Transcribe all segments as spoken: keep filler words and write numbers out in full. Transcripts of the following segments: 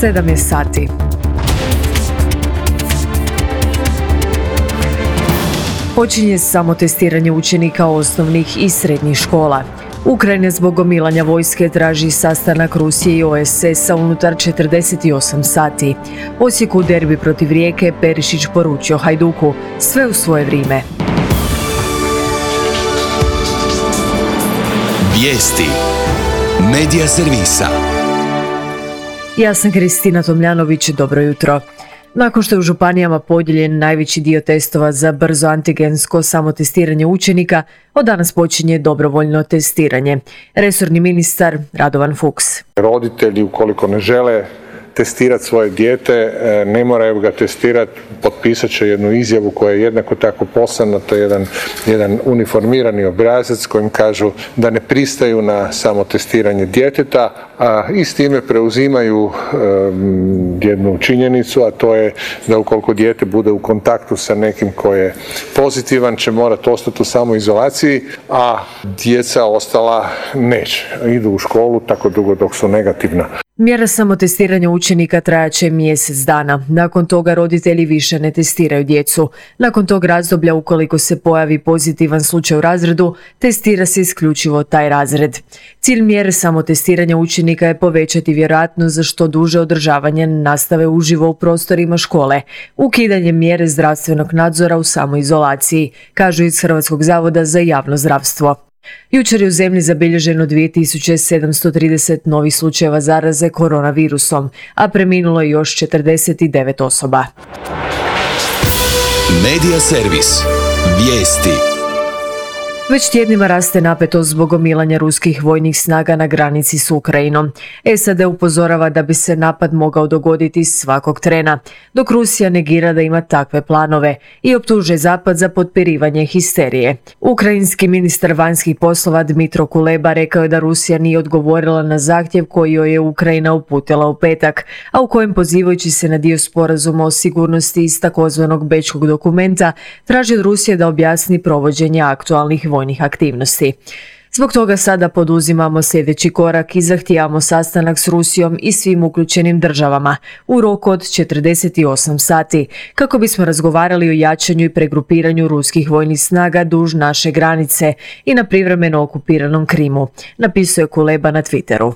sedam je sati. Počinje samotestiranje učenika osnovnih i srednjih škola. Ukrajina zbog gomilanja vojske traži sastanak Rusije i O E S S-a unutar četrdeset osam sati. Osijeku derbi protiv Rijeke Perišić poručio Hajduku sve u svoje vrijeme. Vijesti Medija servisa. Ja sam Kristina Tomljanović, dobro jutro. Nakon što je u županijama podijeljen najveći dio testova za brzo antigensko samotestiranje učenika, od danas počinje dobrovoljno testiranje. Resorni ministar Radovan Fuchs. Roditelji, ukoliko ne žele testirati svoje dijete, ne moraju ga testirati, potpisat će jednu izjavu koja je jednako tako poslana, to je jedan, jedan uniformirani obrazac kojim kažu da ne pristaju na samotestiranje djeteta, a i s time preuzimaju um, jednu činjenicu, a to je da ukoliko dijete bude u kontaktu sa nekim ko je pozitivan, će morati ostati u samoizolaciji, a djeca ostala neće. Idu u školu tako dugo dok su negativna. Mjera samotestiranja učenika trajaće mjesec dana. Nakon toga roditelji više ne testiraju djecu. Nakon tog razdoblja, ukoliko se pojavi pozitivan slučaj u razredu, testira se isključivo taj razred. Cilj mjere samotestiranja učenika je povećati vjerojatnost za što duže održavanje nastave uživo u prostorima škole, ukidanje mjere zdravstvenog nadzora u samoizolaciji, kažu iz Hrvatskog zavoda za javno zdravstvo. Jučer je u zemlji zabilježeno dvije tisuće sedamsto trideset novih slučajeva zaraze koronavirusom, a preminulo je još četrdeset devet osoba. Medija servis. Vijesti. Već tjednima raste napetost zbog gomilanja ruskih vojnih snaga na granici s Ukrajinom. S A D upozorava da bi se napad mogao dogoditi svakog trena, dok Rusija negira da ima takve planove i optužuje Zapad za potpirivanje histerije. Ukrajinski ministar vanjskih poslova Dmitro Kuleba rekao je da Rusija nije odgovorila na zahtjev koji joj je Ukrajina uputila u petak, a u kojem, pozivajući se na dio sporazuma o sigurnosti iz takozvanog bečkog dokumenta, traži od Rusije da objasni provođenje aktualnih vojnih aktivnosti. Zbog toga sada poduzimamo sljedeći korak i zahtijevamo sastanak s Rusijom i svim uključenim državama u roku od četrdeset osam sati, kako bismo razgovarali o jačanju i pregrupiranju ruskih vojnih snaga duž naše granice i na privremeno okupiranom Krimu, napisao je Kuleba na Twitteru.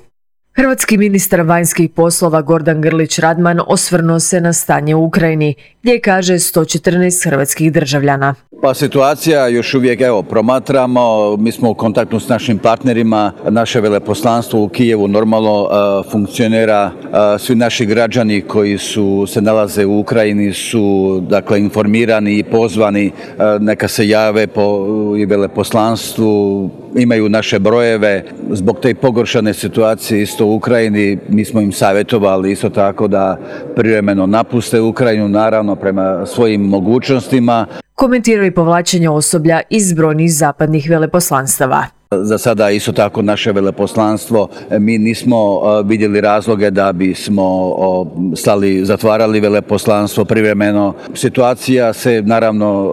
Hrvatski ministar vanjskih poslova Gordan Grlić Radman osvrnuo se na stanje u Ukrajini, gdje kaže sto četrnaest hrvatskih državljana. Pa situacija još uvijek, evo, promatramo, mi smo u kontaktu s našim partnerima, naše veleposlanstvo u Kijevu normalno uh, funkcionira, uh, svi naši građani koji su se nalaze u Ukrajini su, dakle, informirani i pozvani, uh, neka se jave po i veleposlanstvu, imaju naše brojeve. Zbog te pogoršane situacije isto u Ukrajini, mi smo im savjetovali isto tako da privremeno napuste Ukrajinu, naravno prema svojim mogućnostima. Komentiraju i povlačenje osoblja iz brojnih zapadnih veleposlanstava. Za sada isto tako naše veleposlanstvo, mi nismo vidjeli razloge da bismo stali, zatvarali veleposlanstvo privremeno. Situacija se naravno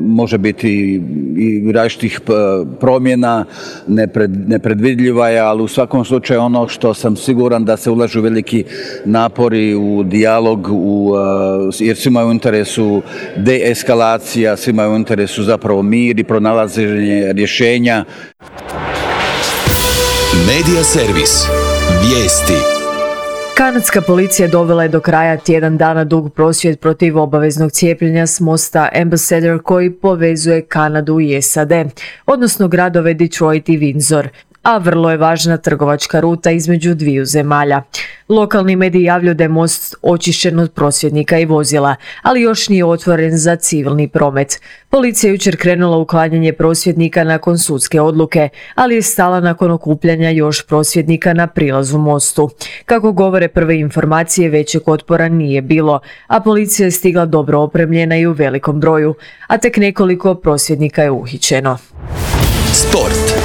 može biti i različitih promjena, nepred, nepredvidljiva je, ali u svakom slučaju ono što sam siguran da se ulažu veliki napori u dijalog, u, jer svima je u interesu deeskalacija, svima je u interesu zapravo mir i pronalaženje rješenja. Medija servis. Vijesti. Kanadska policija dovela je do kraja tjedan dana dug prosvjed protiv obaveznog cijepljenja s mosta Ambassador koji povezuje Kanadu i S A D, odnosno gradove Detroit i Windsor, a vrlo je važna trgovačka ruta između dviju zemalja. Lokalni mediji javljaju da je most očišćen od prosvjednika i vozila, ali još nije otvoren za civilni promet. Policija je jučer krenula uklanjanje prosvjednika nakon sudske odluke, ali je stala nakon okupljanja još prosvjednika na prilazu mostu. Kako govore prve informacije, većeg otpora nije bilo, a policija je stigla dobro opremljena i u velikom broju, a tek nekoliko prosvjednika je uhićeno. Sport.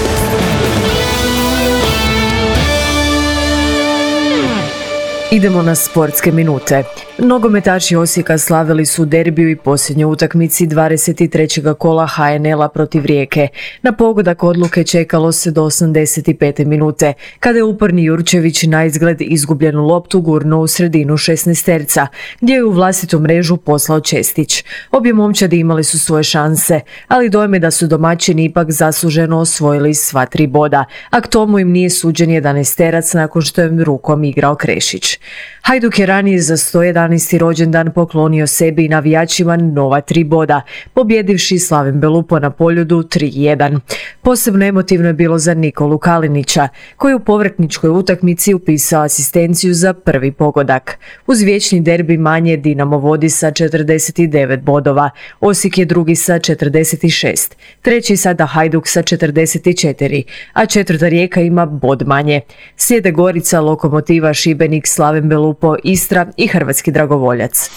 Idemo na sportske minute. Nogometaši Osijeka slavili su derbiju i posljednjoj utakmici dvadeset trećeg kola ha en el-a protiv Rijeke. Na pogodak odluke čekalo se do osamdeset pete minute, kada je uporni Jurčević na izgled izgubljenu loptu gurnuo u sredinu šesnaesterca, gdje je u vlastitu mrežu poslao Čestić. Obje momčadi imali su svoje šanse, ali dojam je da su domaćini ipak zasluženo osvojili sva tri boda, a k tomu im nije suđen jedanaesterac nakon što je rukom igrao Krešić. Hajduk je ranije za sto jedanaesti rođendan poklonio sebi i navijačima nova tri boda, pobjedivši Slaven Belupo na Poljudu tri jedan. Posebno emotivno je bilo za Nikolu Kalinića, koji u povratničkoj utakmici upisao asistenciju za prvi pogodak. Uz vječni derbi manje Dinamo vodi sa četrdeset devet bodova, Osijek je drugi sa četrdeset šest, treći sada Hajduk sa četrdeset četiri, a četvrta Rijeka ima bod manje. Slijede Gorica, Lokomotiva, Šibenik, Slaven Belupo, Istra i Hrvatski dragovoljac.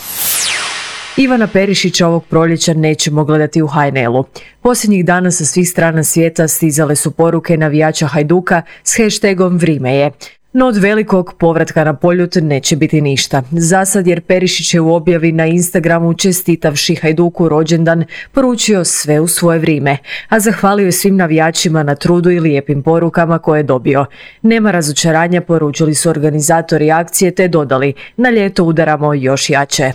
Ivana Perišića ovog proljeća nećemo gledati u ha en el-u. Posljednjih dana sa svih strana svijeta stizale su poruke navijača Hajduka s hashtagom Vrime je. No od velikog povratka na Poljud neće biti ništa. Zasad jer Perišić je u objavi na Instagramu čestitavši Hajduku rođendan poručio sve u svoje vrijeme, a zahvalio je svim navijačima na trudu i lijepim porukama koje je dobio. Nema razočaranja, poručili su organizatori akcije te dodali, na ljeto udaramo još jače.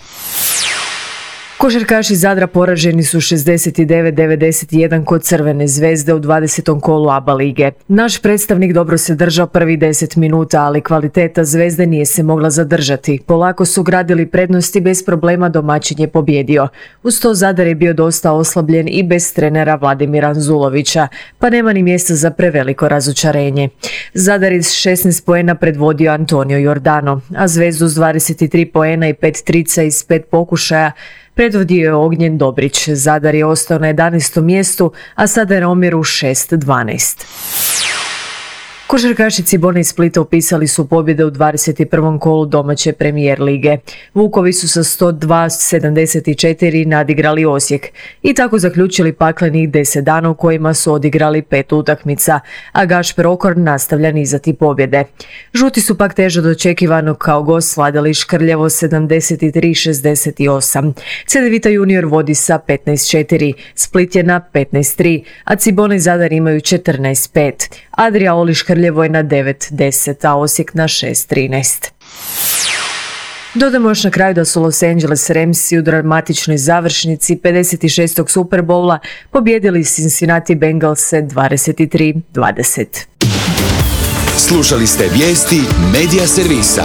Košarkaši Zadra poraženi su šezdeset devet devedeset jedan kod Crvene zvezde u dvadesetom kolu a be a lige. Naš predstavnik dobro se držao prvi deset minuta, ali kvaliteta Zvezde nije se mogla zadržati. Polako su gradili prednosti, bez problema domaćin je pobjedio. Uz to Zadar je bio dosta oslabljen i bez trenera Vladimira Anzulovića, pa nema ni mjesta za preveliko razočarenje. Zadar je s šesnaest poena predvodio Antonio Jordano, a Zvezdu s dvadeset tri poena i pet trica iz pet pokušaja predvodio je Ognjen Dobrić. Zadar je ostao na jedanaestom mjestu, a sada je na omjeru šest dvanaest. Košarkaši Cibone iz Splita upisali su pobjede u dvadeset prvom kolu domaće premijer lige. Vukovi su sa sto dva sedamdeset četiri nadigrali Osijek i tako zaključili paklenih deset dana u kojima su odigrali pet utakmica, a Gašper Okorn nastavlja nizati pobjede. Žuti su pak teže od očekivanog kao gost svladali Škrljevo sedamdeset tri šezdeset osam. Cedevita junior vodi sa petnaest četiri, Split je na petnaest tri, a Cibone i Zadar imaju četrnaest pet. Adria Oli Škrljevo je na devet deset, a Osijek na šest trinaest. Dodamo još na kraju da su Los Angeles Ramsi u dramatičnoj završnici pedeset šestog Super Bowla pobjedili Cincinnati Bengalse dvadeset tri dvadeset. Slušali ste vijesti Medija servisa.